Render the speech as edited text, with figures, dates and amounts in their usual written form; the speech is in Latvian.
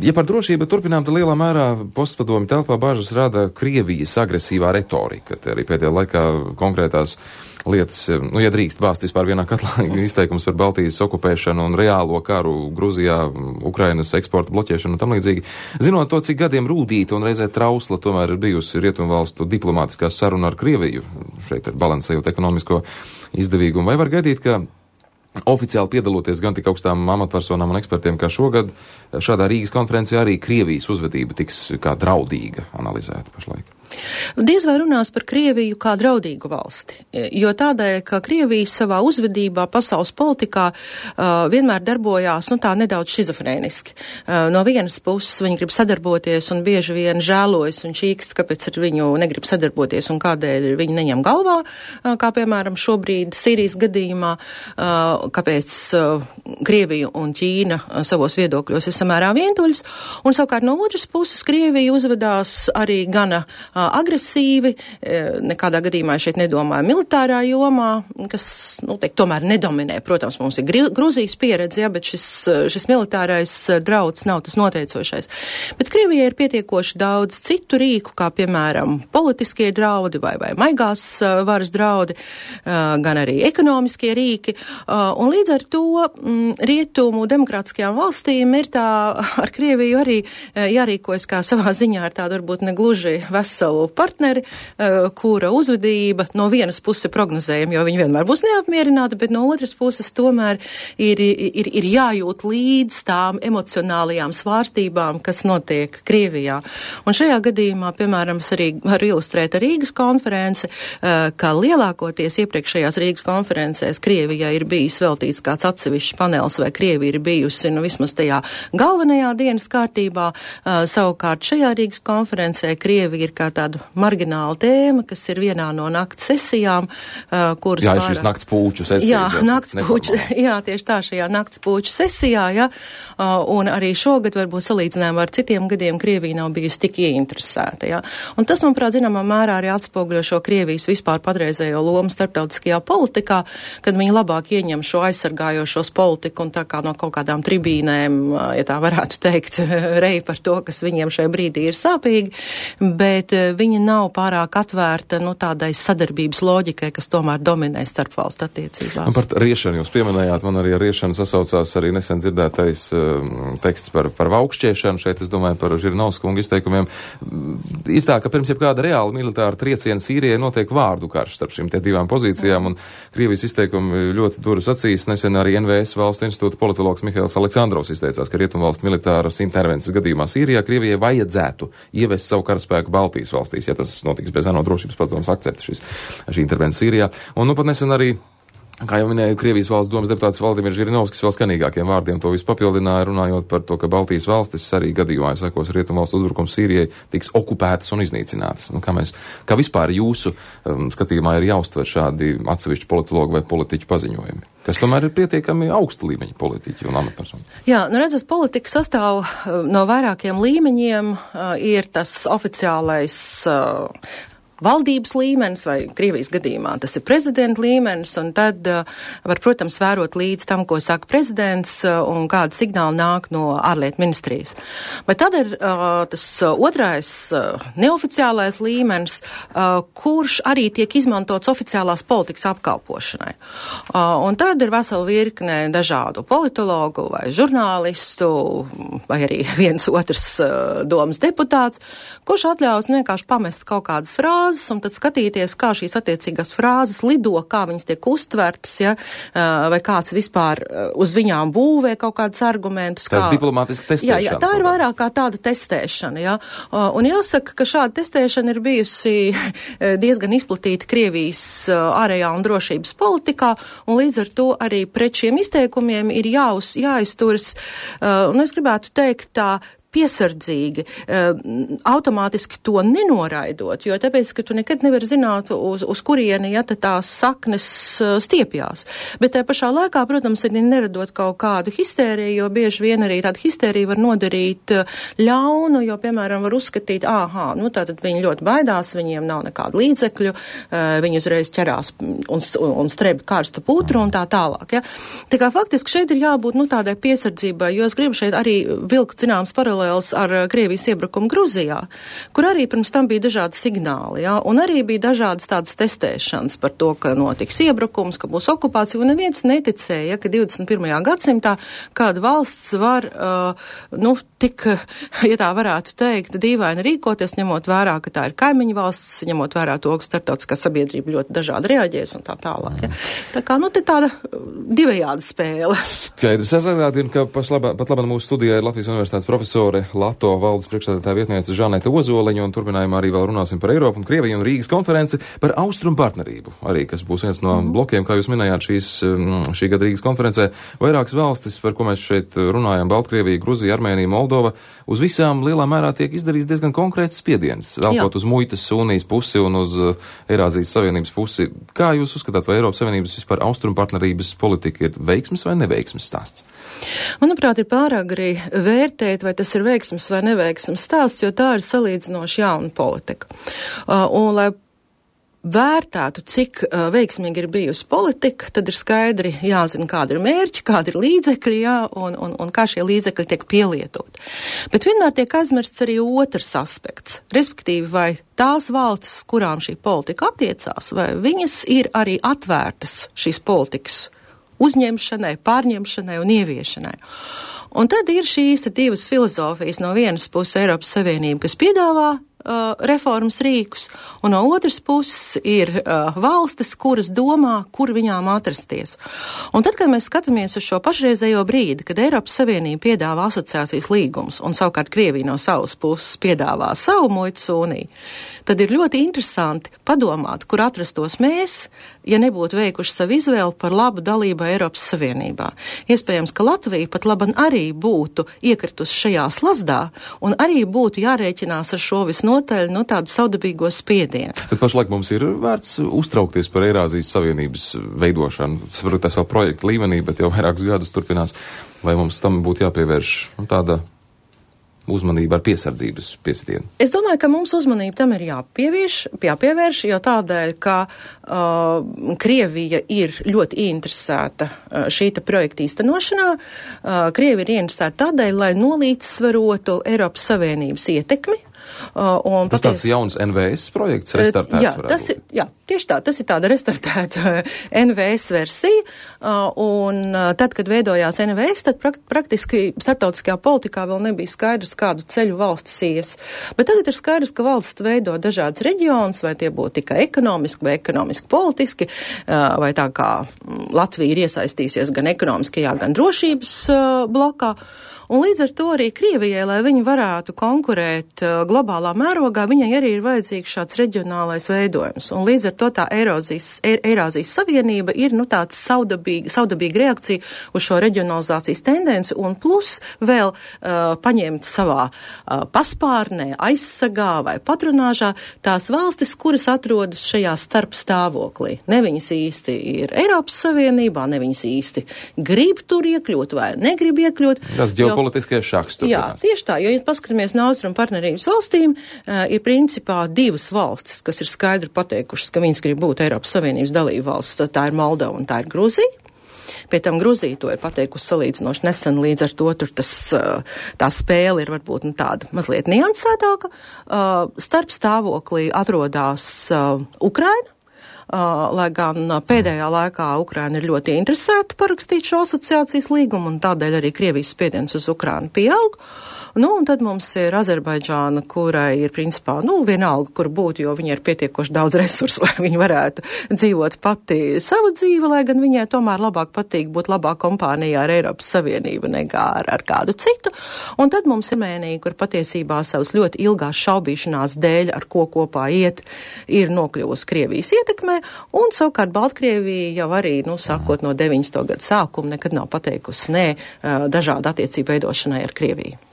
Ja par drošību turpinām, tad lielā mērā postpadomju telpā bāžas rada Krievijas agresīvā retorika. Te arī pēdējā laikā konkrētās lietas, ja drīkst bāzt vispār vienā katlā izteikums par Baltijas okupēšanu un reālo karu Gruzijā, Ukrainas eksporta bloķēšanu un tam līdzīgi. Zinot to, cik gadiem rūdīta un reizē trausla tomēr ir bijusi rietumvalstu diplomātiskā saruna ar Krieviju, šeit ir balansējot ekonomisko izdevīgumu, vai var gaidīt, ka oficiāli piedaloties gan tik augstām amatpersonām un ekspertiem kā šogad, šādā Rīgas konferencē arī Krievijas uzvedība tiks kā draudīga analizēta pašlaik? Diez vai runās par Krieviju kā draudīgu valsti, jo tādēļ, ka Krievija savā uzvedībā pasaules politikā vienmēr darbojās, tā nedaudz šizofrēniski. No vienas puses viņi grib sadarboties un bieži vien žēlojas un čīkst, kāpēc ar viņu negrib sadarboties un kādēļ viņi neņem galvā, kā piemēram šobrīd Sīrijas gadījumā, kāpēc Krievija un Ķīna savos viedokļos ir samērā vientuļas, un savukārt no otras puses Krievija uzvedās arī gana agresīvi, nekādā gadījumā šeit nedomāju militārā jomā, kas, tomēr nedominē. Protams, mums ir Gruzijas pieredze, bet šis militārais drauds nav tas noteicošais. Bet Krievijai ir pietiekoši daudz citu rīku, kā piemēram politiskie draudi vai maigās varas draudi, gan arī ekonomiskie rīki, un līdz ar to rietumu demokrātiskajām valstīm ir tā ar Krieviju arī jārīkojas kā savā ziņā ar tādu varbūt negluži veselu partneri, kura uzvedība no vienas puses prognozējama, jo viņi vienmēr būs neapmierināti, bet no otras puses tomēr ir jājūt līdz tām emocionālajām svārstībām, kas notiek Krievijā. Un šajā gadījumā, piemēram, es arī varu ilustrēt ar Rīgas konferenci, ka lielākoties iepriekšējās Rīgas konferencēs Krievijai ir bijis veltīts kāds atsevišķs panels, vai Krievija ir bijusi, vismaz tajā galvenajā dienas kārtībā. Savukārt šajā Rīgas konferencē Krievija ir kā tāda margināla tēma, kas ir vienā no nakts sesijām, kuras jā, šīs nakts pūču sesijas. Jā, tieši tā, šajā nakts pūču sesijā, jā, un arī šogad varbūt salīdzinājumā ar citiem gadiem Krievija nav bijusi tik ieinteresēta, jā. Un tas, manuprāt, zināmā mērā arī atspoguļo šo Krievijas vispār patreizējo lomu starptautiskajā politikā, kad viņi labāk ieņem šo aizsargājošos politiku un tā kā no kaut kādām tribīnēm, ja tā varētu teikt, rej par to, kas viņiem šajā brīdī ir sāpīgi, bet viņa nav pārāk atvērta tādai sadarbības loģikai, kas tomēr dominē starpvalstu attiecībās. Par riešanu jūs pieminējāt, man arī ar riešanu sasaucās arī nesen dzirdētais teksts par vaukšķiešanu, šeit es domāju par Žirinovskunga izteikumiem. Ir tā, ka pirms jebkāda reāla militāra trieciena Sīrijai notiek vārdu karš starp šīm te divām pozīcijām, un Krievijas izteikumi ļoti duras acīs. Nesen arī NVS valsts institūta politologs Mihails Aleksandrovs izteicās, ka Rietumvalstu militāras intervences gadījumā Sīrijā Krievijai vajadzētu ievest savu karaspēku Baltijas valstīs, ja tas notiks bez ANO drošības padomes akcepta šī intervencija Sīrijā. Un pat nesen arī, kā jau minēju, Krievijas valsts domas deputāts Valdimirs Žirinovskis vēl skanīgākiem vārdiem to visu papildināja, runājot par to, ka Baltijas valstis arī gadījumā, ja sekos Rietumvalstu uzbrukums Sīrijai, tiks okupētas un iznīcinātas. Kā vispār jūsu skatījumā ir jāuztver šādi atsevišķi politologu vai politiķu paziņojumi, kas tomēr ir pietiekami augsta līmeņa politiķi un amatpersoni? Jā, redzat, politika sastāv no vairākiem līmeņiem. Ir tas oficiālais valdības līmenis vai Krievijas gadījumā tas ir prezidenta līmenis, un tad var, protams, vērot līdz tam, ko saka prezidents un kāda signāla nāk no ārlietu ministrijas. Bet tad ir tas otrais neoficiālais līmenis, kurš arī tiek izmantots oficiālās politikas apkalpošanai. Un tad ir vesela virkne dažādu politologu vai žurnālistu vai arī viens otrs domas deputāts, kurš atļaus vienkārši pamest kaut kādas frāzes un tad skatīties, kā šīs attiecīgās frāzes lido, kā viņas tiek uztvertas, ja, vai kāds vispār uz viņām būvē kaut kādus argumentus. Tā ir diplomātiska testēšana. Jā, tā ir vairāk kā tāda testēšana, ja. Un jāsaka, ka šāda testēšana ir bijusi diezgan izplatīta Krievijas ārējā un drošības politikā, un līdz ar to arī pret šiem izteikumiem ir jāizturas, un es gribētu teikt tā, piesardzīgi, automātiski to nenoraidot, jo tāpēc, ka tu nekad nevar zināt, uz kurieni, ja tās saknes stiepjās. Bet tā pašā laikā, protams, ir neradot kaut kādu histēriju, jo bieži vien arī tāda histērija var nodarīt ļaunu, jo, piemēram, var uzskatīt, tātad viņi ļoti baidās, viņiem nav nekādu līdzekļu, viņi uzreiz ķerās un strebi karsta putru un tā tālāk. Ja? Tā kā faktiski šeit ir jābūt tādai piesardzībai, jo es gribu šeit arī vilkt zināms paralēlis paralēls ar Krievijas iebrukumu Gruzijā, kur arī pirms tam bija dažādi signāli, jā, un arī bija dažādas tādas testēšanas par to, ka notiks iebrukums, ka būs okupācija, un neviens neticēja, ka 21. gadsimtā kāda valsts var, tik, ja tā varētu teikt, dīvaini rīkoties, ņemot vērā, ka tā ir kaimiņu valsts, ņemot vērā to, ka starptautiskā sabiedrība ļoti dažādi reaģēs un tā tālāk. Ja. Tā kā, te tāda divējāda spēle. Skaidrs. Es atgādinu, ka pat labāk mūsu studijā ir Latvijas Universitātes profesore Lato valdes priekšsēdētāja vietniece Žanete Ozoliņa, un turpinājumā arī vēl runāsim par Eiropu un Krieviju un Rīgas konferenci par Austrumu partnerību. Arī, kas būs viens no blokiem, kā jūs minējāt, šī gada Rīgas konferencē. Vairākas valstis, par ko mēs šeit runājam, Baltkrievija, Gruzija, Armēnija, Moldova, uz visām lielā mērā tiek izdarīts diezgan konkrēts spiediens, velkot uz muitas unijas pusi un uz Eirāzijas Savienības pusi. Kā jūs uzskatāt, vai Eiropas Savienības vispār Austrumu partnerības politika ir veiksmes vai neveiksmes stāsts? Manuprāt, ir pārāk arī vērtēt, vai tas ir veiksmes vai neveiksmes stāsts, jo tā ir salīdzinoši jauna politika. Un, lai vērtētu, cik veiksmīgi ir bijusi politika, tad ir skaidri jāzina, kāda ir mērķi, kāda ir līdzekļi, jā, un kā šie līdzekļi tiek pielietot. Bet vienmēr tiek aizmirsts arī otrs aspekts, respektīvi, vai tās valstis, kurām šī politika attiecās, vai viņas ir arī atvērtas šīs politikas uzņemšanai, pārņemšanai un ieviešanai. Un tad ir šīs divas filozofijas, no vienas puses Eiropas Savienība, kas piedāvā reformas rīkus, un no otras puses ir valstis, kuras domā, kur viņām atrasties. Un tad, kad mēs skatāmies uz šo pašreizējo brīdi, kad Eiropas Savienība piedāvā asociācijas līgumus, un savukārt Krievija no savas puses piedāvā savu muitas uniju, tad ir ļoti interesanti padomāt, kur atrastos mēs, ja nebūtu veikuši savu izvēli par labu dalību Eiropas Savienībā. Iespējams, ka Latvija pat laban arī būtu iekritusi šajā slazdā, un arī būtu jārēķinās ar šo visnotaļ, tādu saudabīgo spiedienu. Bet pašlaik mums ir vērts uztraukties par Eirāzijas Savienības veidošanu. Saprotu, tas vēl projekta līmenī, bet jau vairākus gadus turpinās. Vai mums tam būtu jāpievērš tāda uzmanība ar piesardzības piesitienu? Es domāju, ka mums uzmanība tam ir jāpievērš, jo tādēļ, ka Krievija ir ļoti interesēta šīta projekta īstenošanā. Krievija ir interesēta tādēļ, lai nolīdzsvarotu Eiropas Savienības ietekmi. Tas tāds jauns NVS projekts, restartēts? Jā, tieši tā, tas ir tāda restartēta NVS versija, un tad, kad veidojās NVS, tad praktiski starptautiskajā politikā vēl nebija skaidrs, kādu ceļu valstis ies. Bet tagad ir skaidrs, ka valsts veido dažādas reģionus, vai tie būtu tikai ekonomiski vai ekonomiski politiski, vai tā kā Latvija ir iesaistījusies gan ekonomiskajā, gan drošības blokā. Un līdz ar to arī Krievijai, lai viņi varētu konkurēt globālā mērogā, viņai arī ir vajadzīgs šāds reģionālais veidojums. Un līdz ar to tā Eirāzijas Savienība ir tāds saudabīga reakcija uz šo reģionalizācijas tendenci, un plus vēl paņemt savā paspārnē, aizsargā vai patronāžā tās valstis, kuras atrodas šajā starpstāvoklī. Ne viņas īsti ir Eiropas Savienībā, ne viņas īsti grib tur iekļūt vai negrib iekļūt. Politiskais šahs turpinās. Jā, tieši tā, jo, ja paskatāmies no Austrumu partnerības valstīm, ir principā divas valstis, kas ir skaidri pateikušas, ka viņas grib būt Eiropas Savienības dalība valsts, tā ir Moldova un tā ir Gruzija. Pie tam Gruzija to ir pateikusi salīdzinoši nesen, līdz ar to tur tā spēle ir varbūt tāda mazliet niansētāka. Starp stāvoklī atrodas Ukraina. Lai gan pēdējā laikā Ukraina ir ļoti interesēta parakstīt šo asociācijas līgumu, un tādēļ arī Krievijas spiediens uz Ukrainu pieaug. Un tad mums ir Azerbaidžāna, kurai ir principā, vienalga, kur būt, jo viņa ir pietiekoši daudz resursu, lai viņa varētu dzīvot pati savu dzīvi, lai gan viņai tomēr labāk patīk būt labā kompānijā ar Eiropas Savienību nekā ar kādu citu. Un tad mums ir Armēnija, kur patiesībā savas ļoti ilgās šaubīšanās dēļ, ar ko kopā iet, ir nokļuvusi Krievijas ietekmē, un savukārt Baltkrievija jau arī, sākot no 90. gadu sākuma, nekad nav pateikusi nē dažādu attiecību veidošanai ar Krieviju.